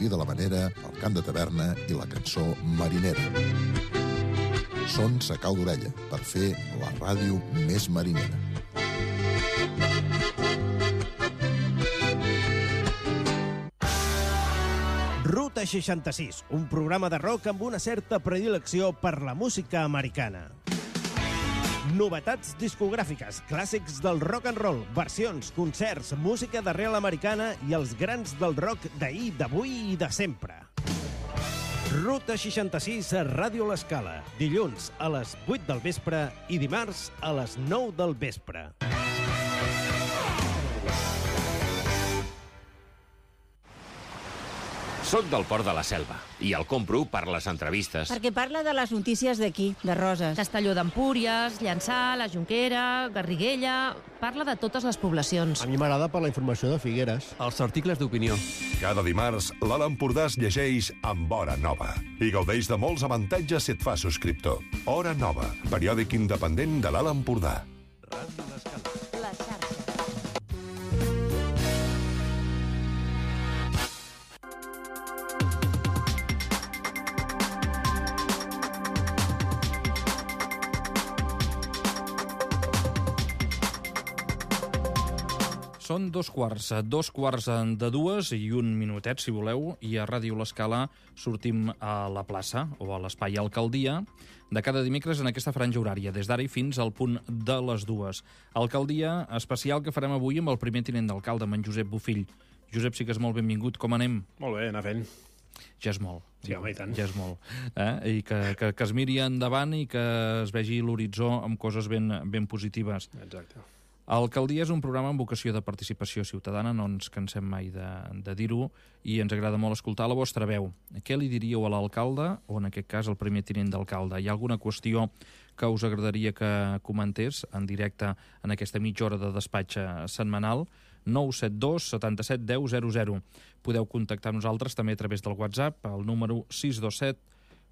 gaudir de la manera, el cant de taverna i la cançó marinera. Són Sa Cau d'Orella, per fer la ràdio més marinera. Ruta 66, un programa de rock amb una certa predilecció per la música americana. Novetats discogràfiques, clàssics del rock and roll, versions, concerts, música d'arrel americana i els grans del rock d'ahir, d'avui i de sempre. Ruta 66 a Ràdio L'Escala, dilluns a les 8 del vespre i dimarts a les 9 del vespre. Soc del Port de la Selva i el compro per les entrevistes. Perquè parla de les notícies d'aquí, de Roses. Castelló d'Empúries, Llançà, la Jonquera, Garriguella... Parla de totes les poblacions. A mi m'agrada per la informació de Figueres. Els articles d'opinió. Cada dimarts, l'Alt Empordà es llegeix amb Hora Nova i gaudeix de molts avantatges si et fa subscriptor. Hora Nova, periòdic independent de l'Alt Empordà. Ràdio L'Escala. La xarxa. Són dos quarts de dues i un minutet, si voleu, i a Ràdio L'Escala sortim a la plaça, o a l'espai Alcaldia, de cada dimecres en aquesta franja horària, des d'ara i fins al punt de les dues. Alcaldia especial que farem avui amb el primer tinent d'alcalde, amb en Josep Bofill. Josep, sí que és molt benvingut. Com anem? Molt bé, anar fent. Ja és molt. Sí, home, i tant. Ja és molt. I que es miri endavant i que es vegi l'horitzó amb coses ben positives. Exacte. Alcaldia és un programa amb vocació de participació ciutadana, no ens cansem mai de dir-ho, i ens agrada molt escoltar la vostra veu. Què li diríeu a l'alcalde, o en aquest cas al primer tinent d'alcalde? Hi ha alguna qüestió que us agradaria que comentés en directe en aquesta mitja hora de despatx setmanal? 972 77 10 00. Podeu contactar amb nosaltres també a través del WhatsApp, al número 627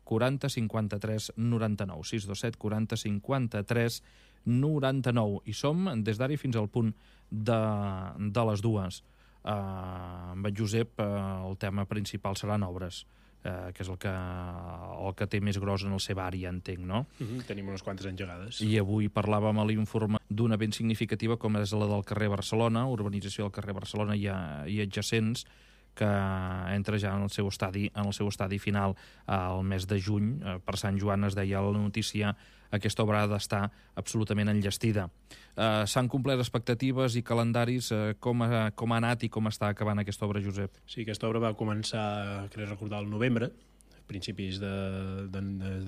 40 53 99. 627 40 53 99. I som des d'ara fins al punt de les dues. Amb en Josep el tema principal seran obres, que és el que té més gros en la seva àrea, entenc, no? Tenim unes quantes engegades. I avui parlàvem a l'informe d'una ben significativa com és la del carrer Barcelona, urbanització del carrer Barcelona i adjacents, que entra ja en el seu estadi final al mes de juny. Per Sant Joan es deia a la notícia, aquesta obra ha d'estar absolutament enllestida. S'han complert expectatives i calendaris. Com ha anat i com està acabant aquesta obra, Josep? Sí, aquesta obra va començar, crec recordar, al novembre, principis de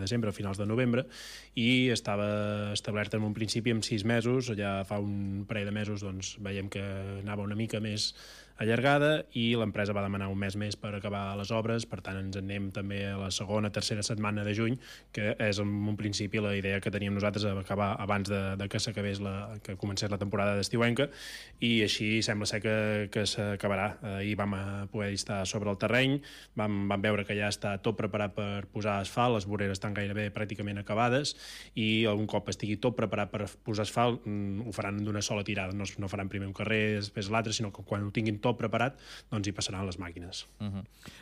desembre, finals de novembre, i estava establerta en un principi amb 6 mesos. Ja fa un parell de mesos doncs, veiem que anava una mica més allargada i l'empresa va demanar un mes més per acabar les obres. Per tant, ens anem també a la segona, tercera setmana de juny, que és en un principi la idea que teníem nosaltres, acabar abans de que s'acabés que comencés la temporada d'estiuenca, i així sembla ser que s'acabarà. Ahir vam poder estar sobre el terreny, vam veure que ja està tot preparat per posar asfalt, les voreres estan gairebé pràcticament acabades, i un cop estigui tot preparat per posar asfalt ho faran d'una sola tirada, no faran primer un carrer, després l'altre, sinó que quan ho tinguin tot preparat, doncs hi passaran les màquines.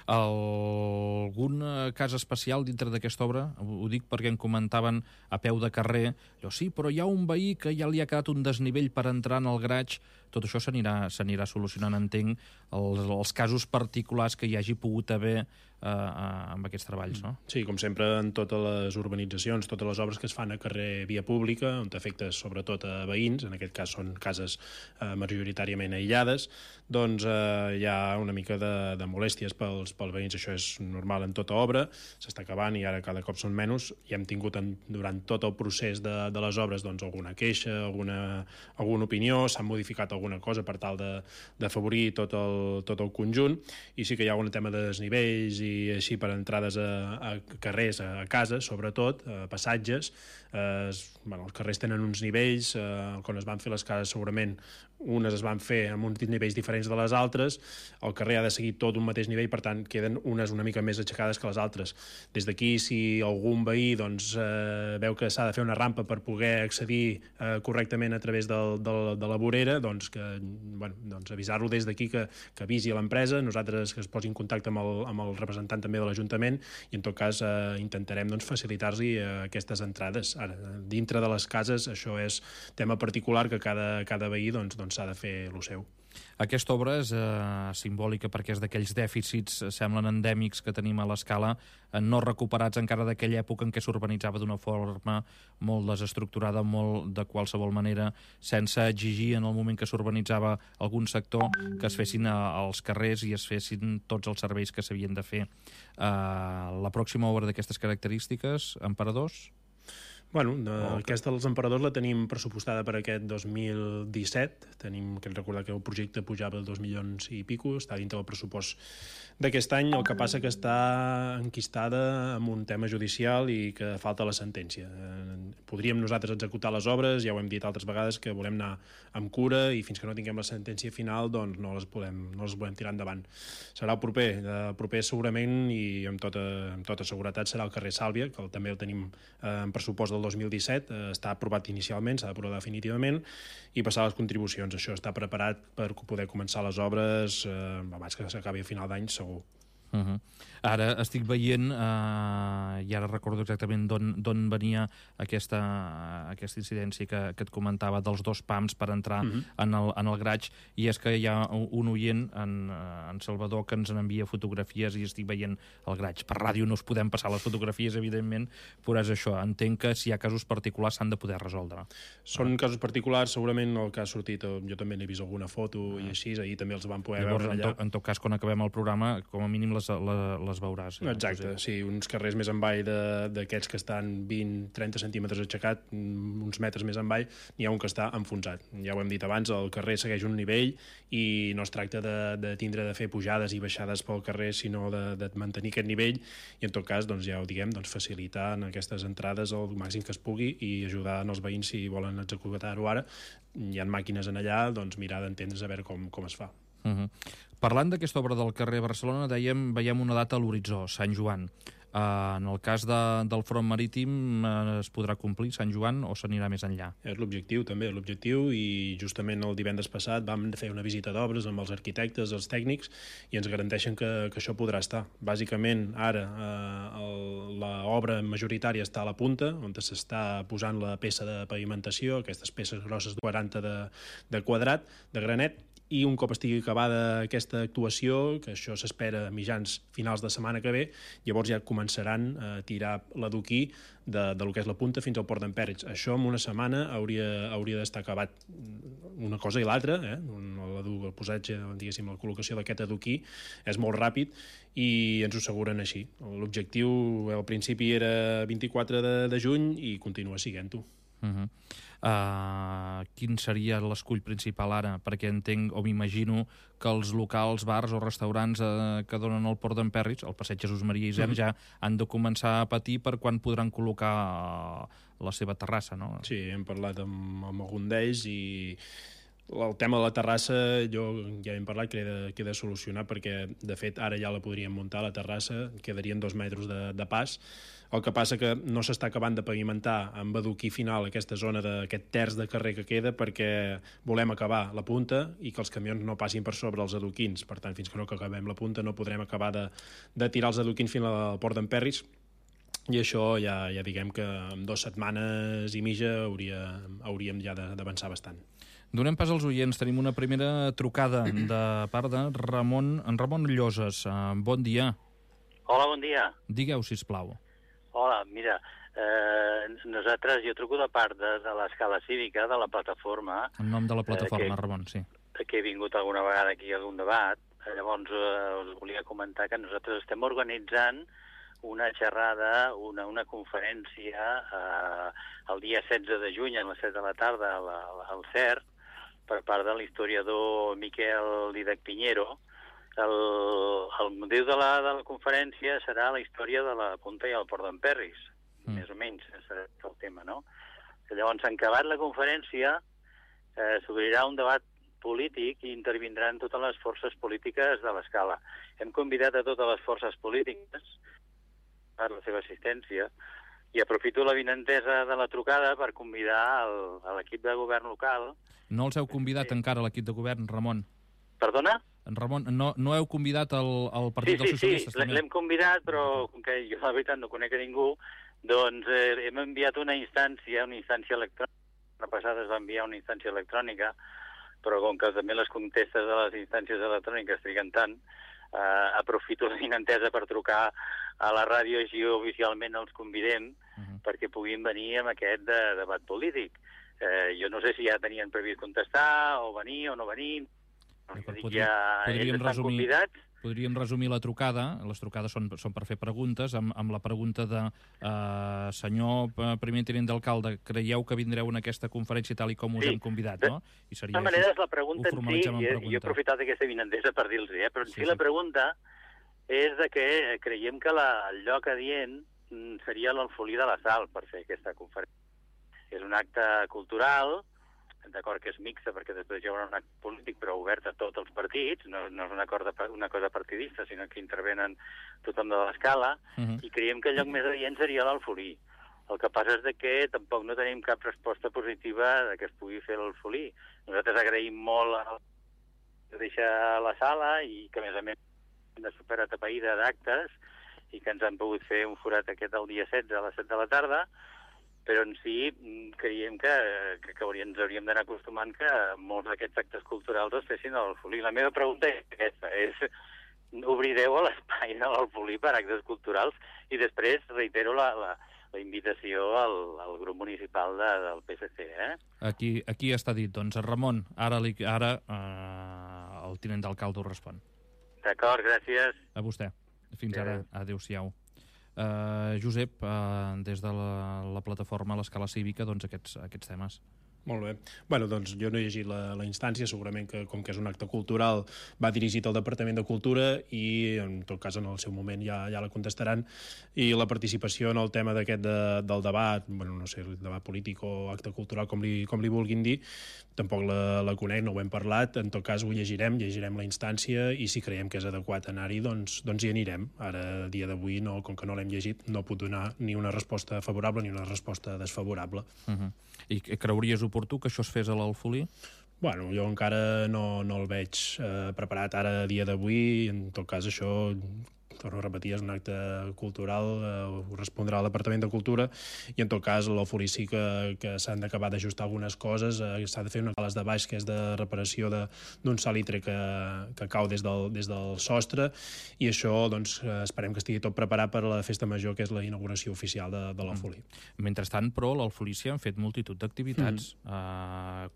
Algun cas especial dintre d'aquesta obra? Ho dic perquè em comentaven a peu de carrer, sí, però hi ha un veí que ja li ha quedat un desnivell per entrar en el graig. Tot això s'anirà solucionant, entenc, els casos particulars que hi hagi pogut haver amb aquests treballs, no? Sí, com sempre en totes les urbanitzacions, totes les obres que es fan a carrer via pública, on afecta sobretot a veïns, en aquest cas són cases majoritàriament aïllades, doncs hi ha una mica de molèsties pels veïns. Això és normal en tota obra, s'està acabant i ara cada cop són menys, i hem tingut durant tot el procés de les obres doncs alguna queixa, alguna opinió, s'han modificat alguna cosa per tal d'afavorir tot el conjunt, i sí que hi ha un tema de desnivells i així per entrades a carrers, a cases, sobretot, a passatges. Els carrers tenen uns nivells, quan es van fer les cases segurament unes es van fer amb uns nivells diferents de les altres, el carrer ha de seguir tot un mateix nivell, per tant, queden unes una mica més aixecades que les altres. Des d'aquí, si algun veí doncs, veu que s'ha de fer una rampa per poder accedir correctament a través de la vorera, doncs, doncs avisar-lo des d'aquí que avisi a l'empresa, nosaltres que es posi en contacte amb el representant també de l'Ajuntament, i en tot cas intentarem doncs, facilitar-li aquestes entrades. Ara, dintre de les cases, això és tema particular que cada veí doncs, s'ha de fer el seu. Aquesta obra és simbòlica perquè és d'aquells dèficits, semblen endèmics, que tenim a l'escala, no recuperats encara d'aquella època en què s'urbanitzava d'una forma molt desestructurada, molt de qualsevol manera, sense exigir en el moment que s'urbanitzava algun sector que es fessin als carrers i es fessin tots els serveis que s'havien de fer. La pròxima obra d'aquestes característiques, Emperadors? Bueno, aquesta dels Emperadors la tenim pressupostada per aquest 2017. Tenim que recordar que el projecte pujava 2 milions i pico, està dintre del pressupost d'aquest any, el que passa que està enquistada amb un tema judicial i que falta la sentència. Podríem nosaltres executar les obres, ja ho hem dit altres vegades, que volem anar amb cura i fins que no tinguem la sentència final doncs no les volem tirar endavant. Serà el proper segurament i amb tota seguretat serà el carrer Sàlvia, que també el tenim en pressupost del 2017, està aprovat inicialment, s'ha d'aprovar definitivament i passar les contribucions. Això està preparat per poder començar les obres abans que s'acabi a final d'any, segur. Ara estic veient, i ara recordo exactament d'on venia aquesta incidència que et comentava dels 2 pams per entrar en el Graig, i és que hi ha un oient, en Salvador, que ens envia fotografies i estic veient el Graig. Per ràdio no us podem passar les fotografies, evidentment, però és això. Entenc que si hi ha casos particulars s'han de poder resoldre. Són casos particulars, segurament el que ha sortit, jo també n'he vist alguna foto i així, ahir també els van poder veure allà. En tot cas, quan acabem el programa, com a mínim les veuràs. Exacte, sí, uns carrers més envall d'aquests que estan 20-30 centímetres aixecat, uns metres més envall, n'hi ha un que està enfonsat. Ja ho hem dit abans, el carrer segueix un nivell i no es tracta de fer pujades i baixades pel carrer, sinó de mantenir aquest nivell i en tot cas, doncs, ja ho diguem, facilitar en aquestes entrades el màxim que es pugui i ajudar els veïns si volen executar-ho ara. Hi ha màquines en allà, doncs mirar d'entendre's a veure com es fa. Parlant d'aquesta obra del carrer Barcelona, veiem una data a l'horitzó, Sant Joan. En el cas del front marítim es podrà complir Sant Joan o s'anirà més enllà? És l'objectiu, també, i justament el divendres passat vam fer una visita d'obres amb els arquitectes, els tècnics, i ens garanteixen que això podrà estar. Bàsicament, ara, l'obra majoritària està a la punta, on s'està posant la peça de pavimentació, aquestes peces grosses de 40 de quadrat, de granet, i un cop estigui acabada aquesta actuació, que això s'espera a mitjans finals de setmana que ve, llavors ja començaran a tirar l'adoquí del que és la punta fins al port d'Empèrits. Això en una setmana hauria d'estar acabat. Una cosa i l'altra, el posatge, diguéssim, la col·locació d'aquest adoquí és molt ràpid i ens ho asseguren així. L'objectiu al principi era 24 de juny i continua sent-ho. Quin seria l'escull principal ara? Perquè entenc o m'imagino que els locals, bars o restaurants que donen al port d'Empèrits, al passeig Jesús Maria Isern, ja han de començar a patir per quan podran col·locar la seva terrassa, no? Sí, hem parlat amb algun d'ells i el tema de la terrassa jo ja hem parlat que he de solucionar perquè de fet ara ja la podríem muntar la terrassa, quedarien 2 metres de pas. El que passa que no s'està acabant de pavimentar amb adoquí final aquesta zona d'aquest terç de carrer que queda perquè volem acabar la punta i que els camions no passin per sobre els adoquins. Per tant, fins que no acabem la punta no podrem acabar de tirar els adoquins fins al port d'Empèrits i això ja diguem que en 2 setmanes i mitja hauríem ja d'avançar bastant. Donem pas als oients. Tenim una primera trucada de part de Ramon Lloses. Bon dia. Hola, bon dia. Digueu, sisplau. Hola, mira, jo truco de part de l'escala cívica, de la plataforma. En nom de la plataforma, Ramon, sí. Que he vingut alguna vegada aquí a algun debat. Llavors us volia comentar que nosaltres estem organitzant una xerrada, una conferència el dia 16 de juny a les 7 de la tarda al CERT per part de l'historiador Miquel Didac Piñero. El motiu de la conferència serà la història de la punta i el port d'Empèrries, més o menys, serà el tema, no? Llavors, en acabat la conferència, s'obrirà un debat polític i intervindran totes les forces polítiques de l'escala. Hem convidat a totes les forces polítiques per la seva assistència i aprofito la vinentesa de la trucada per convidar l'equip de govern local. No els heu convidat encara l'equip de govern, Ramon? Perdona? Ramon, no heu convidat el Partit dels Socialistes? Sí, l'hem convidat, però com que jo la veritat no conec a ningú, doncs hem enviat una instància electrònica. La passada es va enviar una instància electrònica, però com que també les contestes de les instàncies electròniques triguen tant, aprofito la vinentesa per trucar a la ràdio, així oficialment els convidem perquè puguin venir amb aquest debat polític. Jo no sé si ja tenien previst contestar, o venir o no venir. Podríem resumir la trucada. Les trucades són per fer preguntes, amb la pregunta de senyor primer tinent d'alcalde, creieu que vindreu en aquesta conferència tal i com us hem convidat, no? De totes maneres, la pregunta en si, jo he aprofitat aquesta vinentesa per dir-los, però en si la pregunta és de que creiem que el lloc adient seria l'Alfolí de la Sal per fer aquesta conferència. És un acte cultural, d'acord que és mixta perquè després hi haurà un acte polític però obert a tots els partits, no és una cosa partidista, sinó que intervenen tothom de l'escala, i creiem que el lloc més adient seria l'Alfolí. El que passa és que tampoc no tenim cap resposta positiva que es pugui fer l'Alfolí. Nosaltres agraïm molt de deixar la sala i que a més de superatapeïda d'actes i que ens han pogut fer un forat aquest el dia 16 a les 7 de la tarda, però en si creiem que ens hauríem d'anar acostumant que molts d'aquests actes culturals es fessin a l'Alfolí. La meva pregunta és aquesta, obrireu l'espai de l'Alfolí per actes culturals i després reitero la invitació al grup municipal del PSC. Aquí està dit, doncs. Ramon, ara el tinent d'alcalde ho respon. D'acord, gràcies. A vostè. Fins ara. Adéu-siau. Josep, des de la plataforma a l'Escala Cívica, doncs aquests temes. Molt bé. Bueno, doncs jo no he llegit la instància, segurament que com que és un acte cultural va dirigit al Departament de Cultura i en tot cas en el seu moment ja la contestaran, i la participació en el tema d'aquest del debat, bueno, no sé, el debat polític o acte cultural com li vulguin dir, tampoc la conec, no ho hem parlat, en tot cas ho llegirem la instància i si creiem que és adequat anar-hi, doncs hi anirem. Ara, a dia d'avui, com que no l'hem llegit, no puc donar ni una resposta favorable ni una resposta desfavorable. I creuries oportú que això es fes a l'Alfolí? Bueno, jo encara no el veig preparat ara a dia d'avui. En tot cas, això, torno a repetir, és un acte cultural, ho respondrà al Departament de Cultura, i en tot cas l'Alfolí sí que s'han d'acabar d'ajustar algunes coses, s'ha de fer unes sales de baix que és de reparació d'un salitre que cau des del sostre, i això doncs esperem que estigui tot preparat per a la festa major, que és la inauguració oficial de l'Alfolí. Mentrestant, però, a l'Alfolí s'hi han fet multitud d'activitats,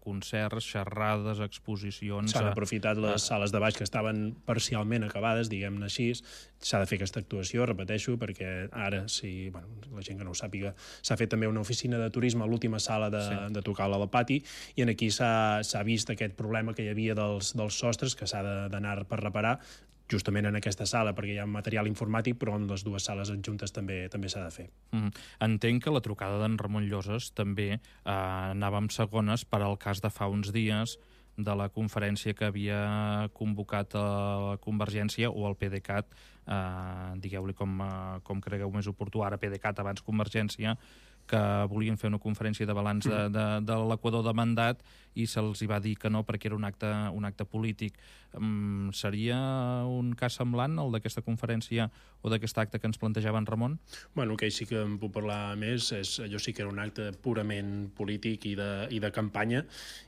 concerts, xerrades, exposicions... S'han aprofitat les sales de baix que estaven parcialment acabades, diguem-ne així. S'ha de fer aquesta actuació, repeteixo, perquè ara, si la gent que no ho sàpiga, s'ha fet també una oficina de turisme a l'última sala de Tocal al pati, i aquí s'ha vist aquest problema que hi havia dels sostres, que s'ha d'anar per reparar, justament en aquesta sala, perquè hi ha material informàtic, però en les dues sales adjuntes també s'ha de fer. Entenc que la trucada d'en Ramon Lloses també anava amb segones per al cas de fa uns dies de la conferència que havia convocat a Convergència o al PDeCAT, digueu-li com cregueu més oportú, ara PDeCAT abans Convergència, que volien fer una conferència de balanç de l'equador de mandat i se'ls hi va dir que no perquè era un acte polític. Seria un cas semblant, el d'aquesta conferència o d'aquest acte que ens plantejava en Ramon? Bueno, que sí que en puc parlar més. Allò sí que era un acte purament polític i de campanya,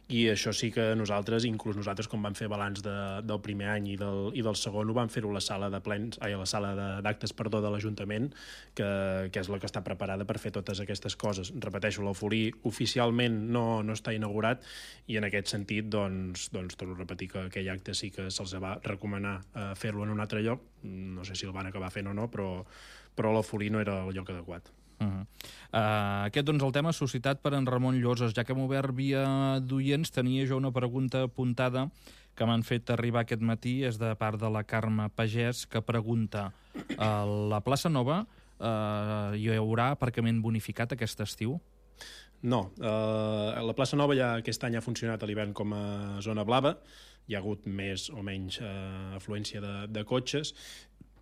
i això sí que nosaltres, inclús nosaltres, com vam fer balanç del primer any i del segon, ho vam fer-ho a la sala d'actes de l'Ajuntament, que és la que està preparada per fer totes aquestes coses. Repeteixo, l'Alfolí oficialment no està inaugurat, i en aquest sentit, doncs torno a repetir que aquell acte sí que se'ls va recomanar fer-lo en un altre lloc. No sé si el van acabar fent o no, però l'Alfolí no era el lloc adequat. Aquest, doncs, el tema suscitat per en Ramon Lloses. Ja que hem obert via d'oients, tenia jo una pregunta apuntada que m'han fet arribar aquest matí, és de part de la Carme Pagès, que pregunta: a la plaça Nova hi haurà aparcament bonificat aquest estiu? No, la plaça Nova ja aquest any ha funcionat a l'hivern com a zona blava, hi ha hagut més o menys afluència de cotxes,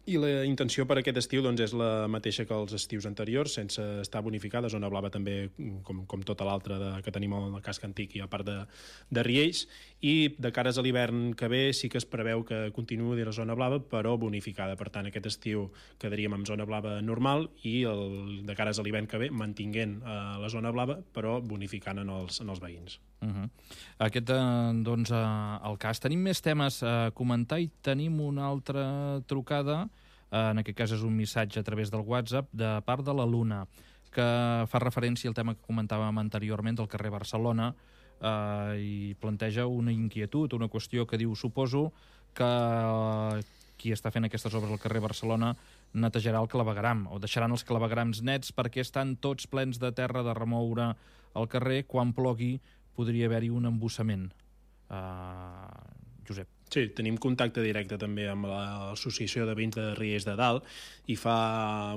i la intenció per aquest estiu doncs, és la mateixa que els estius anteriors, sense estar bonificada, zona blava també com tota l'altra que tenim al casc antic i a part de Riells, i de cares a l'hivern que ve sí que es preveu que continuï la zona blava, però bonificada. Per tant, aquest estiu quedaríem amb zona blava normal i de cares a l'hivern que ve mantinguent la zona blava, però bonificant en els veïns. Aquest, doncs, el cas. Tenim més temes a comentar i tenim una altra trucada, en aquest cas és un missatge a través del WhatsApp, de part de la Luna, que fa referència al tema que comentàvem anteriorment del carrer Barcelona, i planteja una inquietud, una qüestió que diu: suposo que qui està fent aquestes obres al carrer Barcelona netejarà el clavegueram, o deixaran els claveguerams nets perquè estan tots plens de terra de remoure al carrer. Quan plogui podria haver-hi un embussament. Josep. Sí, tenim contacte directe també amb l'Associació de Veïns de Riells de Dalt i fa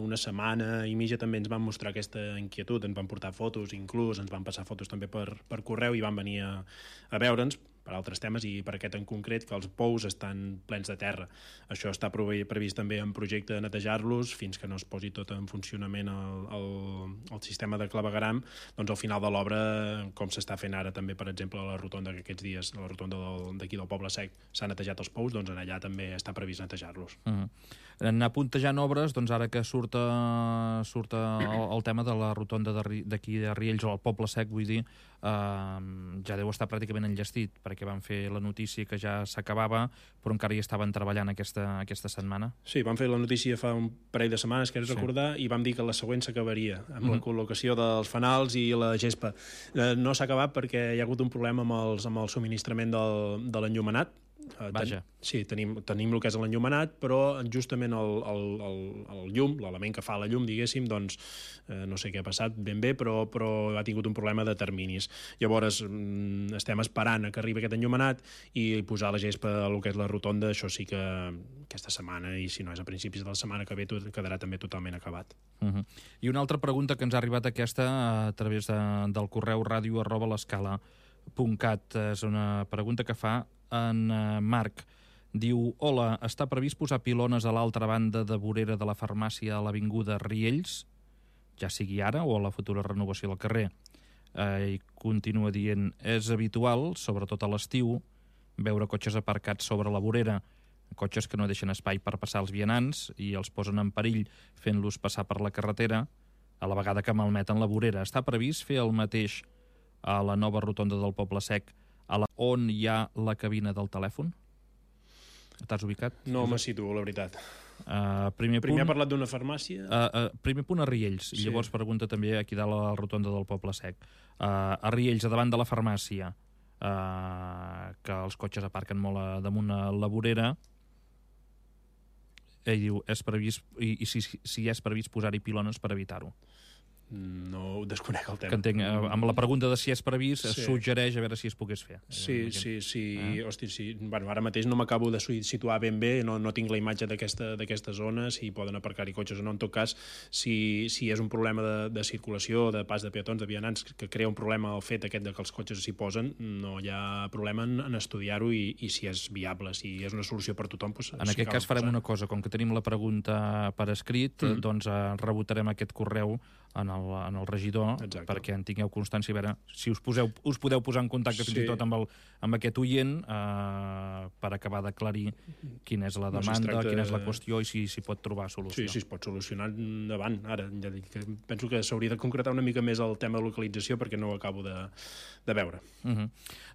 una setmana i mitja també ens van mostrar aquesta inquietud, ens van portar fotos, inclús ens van passar fotos també per correu i van venir a veure'ns per altres temes i per aquest en concret, que els pous estan plens de terra. Això està previst també en projecte de netejar-los fins que no es posi tot en funcionament el sistema de clavegueram. Doncs al final de l'obra, com s'està fent ara també, per exemple, a la rotonda que aquests dies, a la rotonda d'aquí del Poble Sec, s'han netejat els pous, doncs allà també està previst netejar-los. Anar puntejant obres, doncs ara que surt el tema de la rotonda d'aquí de Riells, o el Poble Sec, vull dir, ja deu estar pràcticament enllestit, perquè van fer la notícia que ja s'acabava, però encara hi estaven treballant aquesta setmana. Sí, van fer la notícia fa un parell de setmanes, que és recordar, i vam dir que la següent s'acabaria, amb la col·locació dels fanals i la gespa. No s'ha acabat perquè hi ha hagut un problema amb el subministrament de l'enllumenat. Vaja. Sí, tenim el que és l'enllumenat, però justament el llum, l'element que fa la llum, diguéssim, doncs no sé què ha passat ben bé, però ha tingut un problema de terminis. Llavors estem esperant que arribi aquest enllumenat i posar la gespa a lo que és la rotonda. Això sí que aquesta setmana, i si no és a principis de la setmana que ve, quedarà també totalment acabat. I una altra pregunta que ens ha arribat aquesta a través del correu radio@l'escala.cat. És una pregunta que fa en Marc. Diu: hola, està previst posar pilones a l'altra banda de vorera de la farmàcia a l'avinguda Riells, ja sigui ara o a la futura renovació del carrer? I continua dient: és habitual, sobretot a l'estiu, veure cotxes aparcats sobre la vorera, cotxes que no deixen espai per passar els vianants i els posen en perill fent-los passar per la carretera, a la vegada que malmeten la vorera. Està previst fer el mateix a la nova rotonda del Poble Sec, on hi ha la cabina del telèfon? T'has ubicat? No me situo, la veritat. Primer ha parlat d'una farmàcia? Primer punt a Riells, i llavors pregunta també aquí dalt a la rotonda del Poble Sec. A Riells, a davant de la farmàcia, que els cotxes aparquen molt damunt la vorera, ell diu, és previst, i si és previst posar-hi pilones per evitar-ho. No desconec el tema. Que entenc, amb la pregunta de si és previst, suggereix a veure si es pogués fer. Sí. Hosti, sí. Bueno, ara mateix no m'acabo de situar ben bé, no tinc la imatge d'aquesta zona, si poden aparcar-hi cotxes o no. En tot cas, si és un problema de circulació, de pas de peatons, de vianants, que crea un problema el fet aquest de que els cotxes s'hi posen, no hi ha problema en estudiar-ho i si és viable, si és una solució per tothom. Doncs, en aquest cas farem una cosa, com que tenim la pregunta per escrit, doncs rebotarem aquest correu en el regidor. Exacte. Perquè en tingueu constància, a veure si us podeu posar en contacte fins i tot amb aquest oient per acabar d'aclarir quina és la demanda, quina és la qüestió i si s'hi pot trobar solució. Sí, es pot solucionar endavant. Ara, ja dic que penso que s'hauria de concretar una mica més el tema de localització perquè no ho acabo de veure.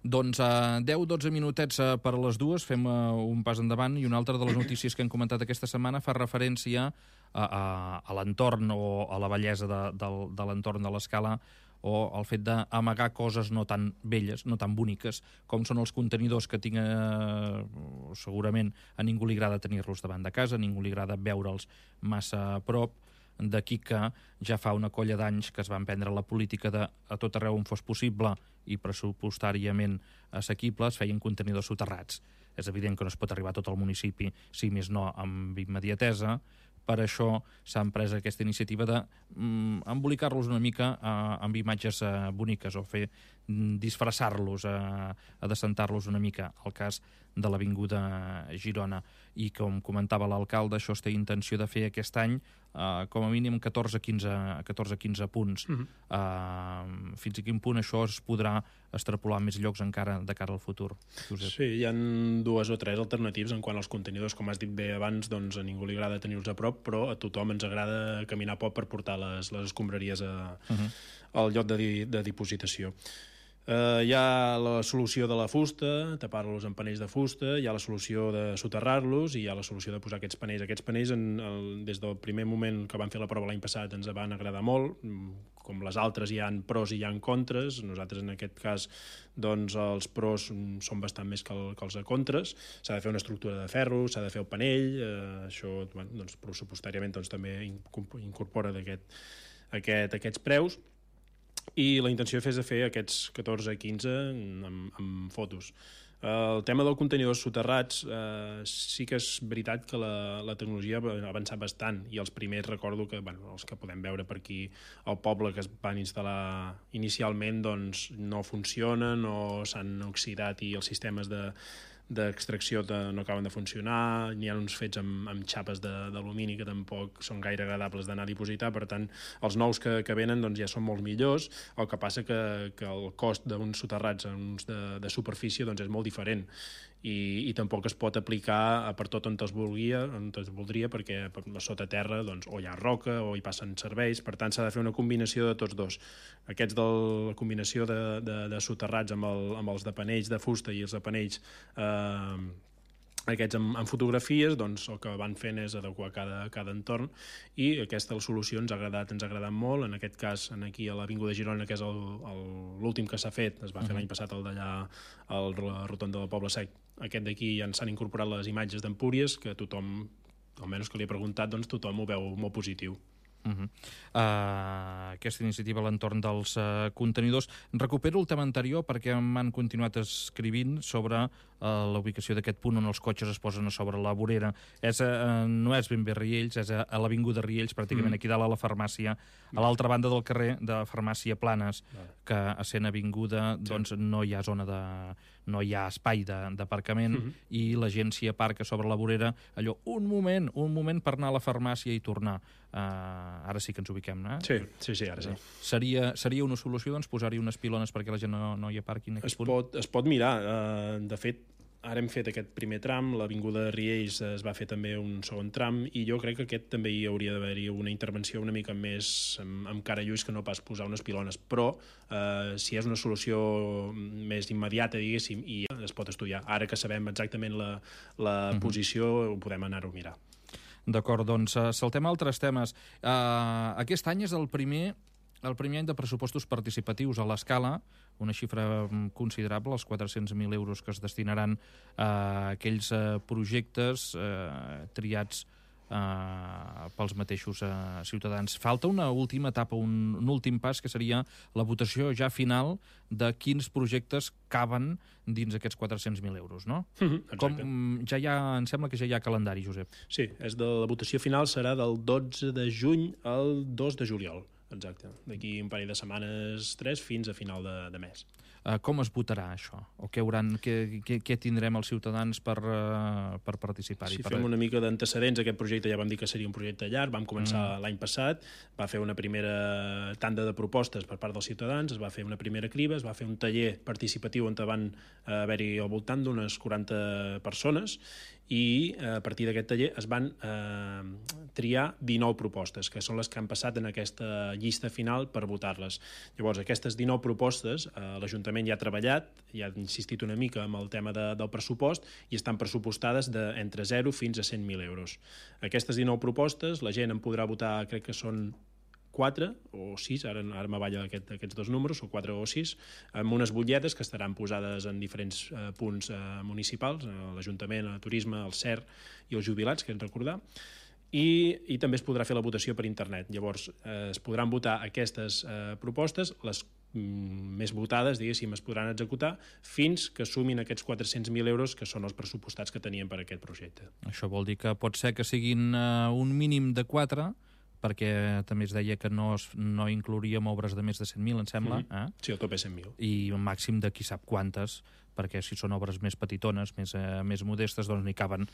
Doncs 10-12 minutets per a les dues, fem un pas endavant, i una altra de les notícies que hem comentat aquesta setmana fa referència a l'entorn o a la bellesa de l'entorn de l'Escala, o el fet d'amagar coses no tan belles, no tan boniques, com són els contenidors que tinc, segurament a ningú li agrada tenir-los davant de casa, a ningú li agrada veure'ls massa a prop, d'aquí que ja fa una colla d'anys que es van prendre la política de a tot arreu on fos possible i pressupostàriament assequible es feien contenidors soterrats. És evident que no es pot arribar a tot el municipi, si més no amb immediatesa, Per això s'ha emprès aquesta iniciativa d'embolicar-los una mica amb imatges boniques o fer disfressar-los, adecentar-los una mica, al cas de l'Avinguda Girona. I com comentava l'alcalde, això es té intenció de fer aquest any com a mínim 14-15 punts. Fins a quin punt això es podrà extrapolar més llocs encara de cara al futur? Josep. Sí, hi ha 2 o 3 alternatives en quant als contenidors. Com has dit bé abans, doncs a ningú li agrada tenir-los a prop, però a tothom ens agrada caminar poc per portar les escombraries al lloc de dipositació. Hi ha la solució de la fusta, tapar-los amb panells de fusta, hi ha la solució de soterrar-los i hi ha la solució de posar aquests panells. Aquests panells, des del primer moment que vam fer la prova l'any passat, ens van agradar molt. Com les altres, hi ha pros i hi ha contres. Nosaltres, en aquest cas, doncs, els pros són bastant més que els contres. S'ha de fer una estructura de ferro, s'ha de fer el panell. Això, doncs, pressupostàriament, doncs, també incorpora aquests preus. I la intenció és de fer aquests 14-15 amb fotos. El tema dels contenidors soterrats, sí que és veritat que la tecnologia ha avançat bastant, i els primers recordo que, els que podem veure per aquí al poble que es van instal·lar inicialment, doncs no funcionen o s'han oxidat i els sistemes d'extracció no acaben de funcionar, n'hi ha uns fets amb xapes d'alumini que tampoc són gaire agradables d'anar a dipositar. Per tant, els nous que venen doncs, ja són molt millors. El que passa que el cost d'uns soterrats a uns de superfície doncs, és molt diferent i tampoc es pot aplicar per tot on es voldria, perquè sota terra doncs, o hi ha roca o hi passen serveis. Per tant, s'ha de fer una combinació de tots dos. Aquests de la combinació de soterrats amb els de panells de fusta i els de panells aquests amb fotografies, doncs el que van fent és adequar cada entorn, i aquesta solució ens ha agradat molt. En aquest cas, aquí a l'Avinguda Girona, que és l'últim que s'ha fet, es va fer l'any passat el d'allà al Rotonda del Poble Sec. Aquest d'aquí ja s'han incorporat les imatges d'Empúries, que tothom, almenys que li he preguntat, doncs tothom ho veu molt positiu. Aquesta iniciativa a l'entorn dels contenidors. Recupero el tema anterior perquè m'han continuat escrivint sobre la ubicació d'aquest punt on els cotxes es posen a sobre la vorera. No és ben bé Riells, és a l'Avinguda Riells, pràcticament aquí dalt a la farmàcia, a l'altra banda del carrer de Farmàcia Planes, que essent avinguda doncs no hi ha zona no hi ha espai d'aparcament, i la gent s'hi aparca sobre la vorera, allò, un moment per anar a la farmàcia i tornar. Ara sí que ens ubiquem, no? Sí, ara sí. Seria una solució, doncs, posar-hi unes pilones perquè la gent no hi aparqui en aquest punt? Es pot mirar. De fet, ara hem fet aquest primer tram, l'Avinguda Riells es va fer també un segon tram, i jo crec que aquest també hi hauria d'haver-hi una intervenció una mica més amb cara i ulls que no pas posar unes pilones, però si és una solució més immediata, diguéssim, i es pot estudiar. Ara que sabem exactament la posició, ho podem anar-ho a mirar. D'acord, doncs saltem a altres temes. Aquest any és el primer any de pressupostos participatius a l'Escala, una xifra considerable, els 400.000 euros que es destinaran a aquells projectes triats pels mateixos ciutadans. Falta una última etapa, un últim pas, que seria la votació ja final de quins projectes caben dins aquests 400.000 euros, no? Exacte. Em sembla que ja hi ha calendari, Josep. Sí, la votació final serà del 12 de juny al 2 de juliol. Exacte. D'aquí un parell de setmanes, 3, fins a final de mes. Com es votarà això? O què tindrem els ciutadans per participar-hi? Si fem una mica d'antecedents, aquest projecte ja vam dir que seria un projecte llarg, vam començar l'any passat, va fer una primera tanda de propostes per part dels ciutadans, es va fer una primera criba, es va fer un taller participatiu on van haver-hi al voltant d'unes 40 persones, i a partir d'aquest taller es van triar 19 propostes, que són les que han passat en aquesta llista final per votar-les. Llavors, aquestes 19 propostes, l'Ajuntament ja ha treballat, ja ha insistit una mica amb el tema del pressupost, i estan pressupostades entre 0 fins a 100.000 euros. Aquestes 19 propostes, la gent en podrà votar, crec que són 4 o 6, ara m'avalla aquests dos números, o 4 o 6, amb unes butlletes que estaran posades en diferents punts municipals, l'Ajuntament, el Turisme, el CER i els jubilats, que hem de recordar, i també es podrà fer la votació per internet. Llavors, es podran votar aquestes propostes, les més votades, diguéssim, es podran executar fins que sumin aquests 400.000 euros que són els pressupostats que tenien per aquest projecte. Això vol dir que pot ser que siguin un mínim de 4, perquè també es deia que no inclouríem obres de més de 100.000, em sembla. Sí, el top és 100.000. I un màxim de qui sap quantes, perquè si són obres més petitones, més modestes, doncs n'hi caben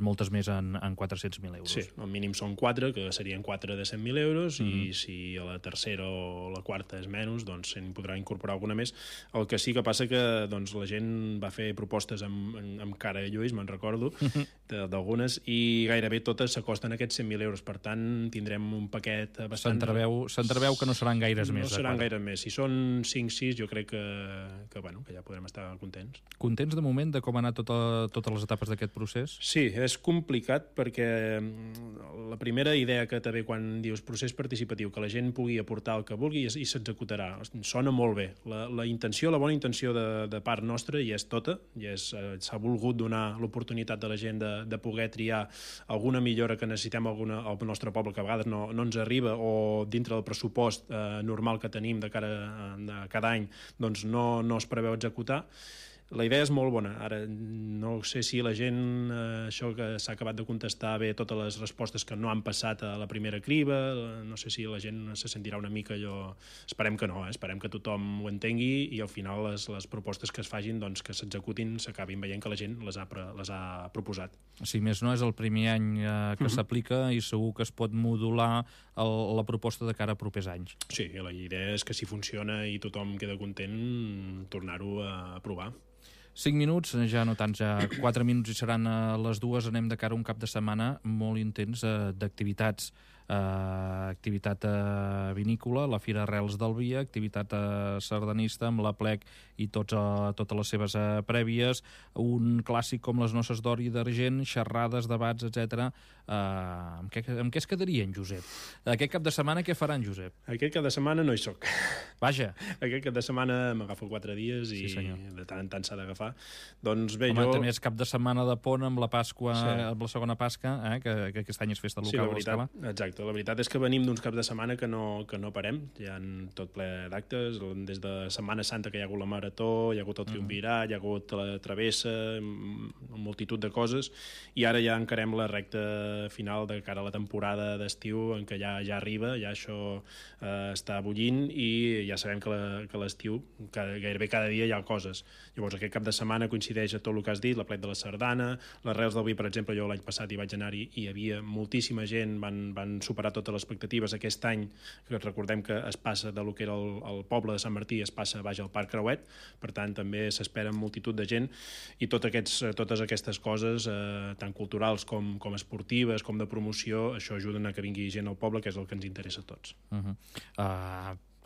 moltes més en 400.000 euros. Sí, el mínim són 4, que serien 4 de 100.000 euros, i si a la tercera o la quarta és menys, doncs se'n podrà incorporar alguna més. El que sí que passa que doncs, la gent va fer propostes amb cara de Lluís, me'n recordo, d'algunes, i gairebé totes s'acosten a aquests 100.000 euros. Per tant, tindrem un paquet bastant... S'entreveu que no seran gaires més. No seran gaires més. Si són 5-6, jo crec que ja podrem estar contents. Contents de moment de com han anat totes les etapes d'aquest procés? Sí, és complicat perquè la primera idea que també quan dius procés participatiu, que la gent pugui aportar el que vulgui i s'executarà, sona molt bé. La bona intenció de part nostra hi és tota, s'ha volgut donar l'oportunitat de la gent de poder triar alguna millora que necessitem al nostre poble, que a vegades no ens arriba, o dintre del pressupost normal que tenim de cara a cada any, doncs no es preveu executar. La idea és molt bona. Ara, no sé si la gent, això que s'ha acabat de contestar bé, totes les respostes que no han passat a la primera criba, no sé si la gent se sentirà una mica allò... Esperem que no, esperem que tothom ho entengui i al final les propostes que es fagin, doncs, que s'executin, s'acabin veient que la gent les ha proposat. Si més no, és el primer any que s'aplica i segur que es pot modular la proposta de cara a propers anys. Sí, la idea és que si funciona i tothom queda content, tornar-ho a aprovar. 5 minuts, ja no tants, ja 4 minuts i seran les 2. Anem de cara a un cap de setmana molt intens d'activitats. Activitat vinícola, la Fira Arrels del Vi, activitat sardanista amb la Plec i totes les seves prèvies, un clàssic com les noces d'or i d'argent, xerrades, debats, etc. Amb què es quedarien, Josep? Aquest cap de setmana què faran, Josep? Aquest cap de setmana no hi soc. Vaja. Aquest cap de setmana m'agafo 4 dies i de tant en tant s'ha d'agafar. Doncs bé, també és cap de setmana de pont amb la Pasqua, amb la segona Pasca, que aquest any és festa local a l'Escala. Exacte. La veritat és que venim d'uns caps de setmana que no parem. Hi ha tot ple d'actes, des de Setmana Santa que hi ha hagut la Marató, hi ha hagut el Triumvirat, hi ha hagut la Travessa, multitud de coses, i ara ja encarem la recta final de cara a la temporada d'estiu, en què ja arriba, ja això està bullint, i ja sabem que l'estiu gairebé cada dia hi ha coses. Llavors aquest cap de setmana coincideix a tot el que has dit, la Plec de la Sardana, les Arrels del Vi, per exemple, jo l'any passat hi vaig anar-hi i hi havia moltíssima gent, van superar totes les expectatives. Aquest any, que recordem que es passa de lo que era el poble de Sant Martí, es passa baix al Parc Creuet, per tant també s'espera multitud de gent, i totes aquestes coses, tant culturals com esportives, com de promoció, això ajuden a que vingui gent al poble, que és el que ens interessa a tots.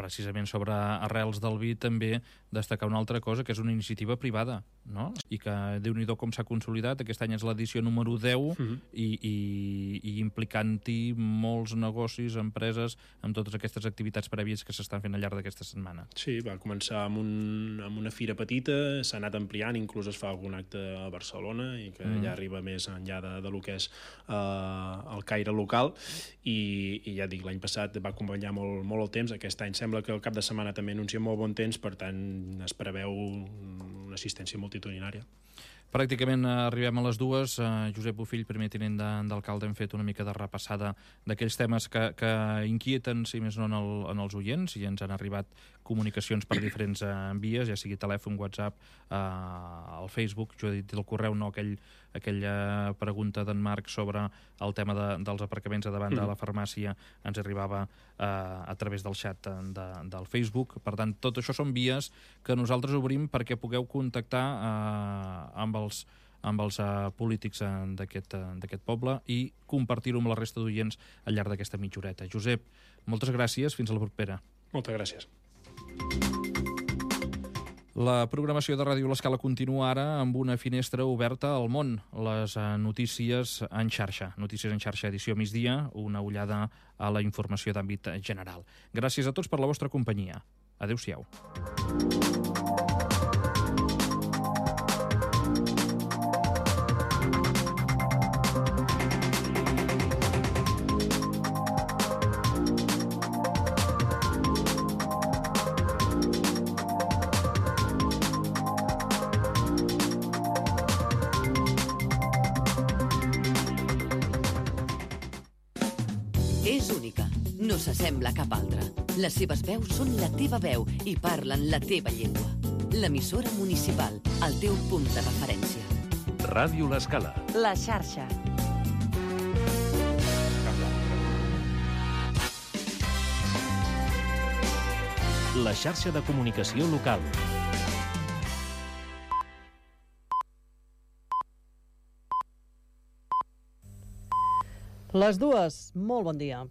Precisament sobre Arrels del Vi també destacar una altra cosa, que és una iniciativa privada, no? I que Déu-n'hi-do com s'ha consolidat. Aquest any és l'edició número 10 i implicant-hi molts negocis, empreses, amb totes aquestes activitats prèvies que s'estan fent al llarg d'aquesta setmana. Sí, va començar amb una fira petita, s'ha anat ampliant, inclús es fa algun acte a Barcelona i que ja arriba més enllà de lo que és el caire local, i ja dic, l'any passat va acompanyar molt el temps. Aquest any sembla que el cap de setmana també anuncia molt bon temps, per tant es preveu una assistència multitudinària. Pràcticament arribem a les 2. Josep Bofill, primer tinent d'alcalde, hem fet una mica de repassada d'aquells temes que inquieten, si més no, en els oients, i ens han arribat comunicacions per diferents vies, ja sigui telèfon, WhatsApp, al Facebook. Jo he dit el correu, no aquella pregunta d'en Marc sobre el tema dels aparcaments a davant de la farmàcia, ens arribava a través del xat del Facebook. Per tant, tot això són vies que nosaltres obrim perquè pugueu contactar amb els polítics d'aquest poble i compartir-ho amb la resta d'oients al llarg d'aquesta mitja horeta. Josep, moltes gràcies, fins a la propera. Moltes gràcies. La programació de Ràdio L'Escala continua ara amb una finestra oberta al món, les notícies en xarxa. Notícies en xarxa, edició migdia, una ullada a la informació d'àmbit general. Gràcies a tots per la vostra companyia. Adéu-siau. És única, no s'assembla a cap altra. Les seves veus són la teva veu i parlen la teva llengua. L'emissora municipal, el teu punt de referència. Ràdio L'Escala. La xarxa. La xarxa de comunicació local. Les dues, molt bon dia.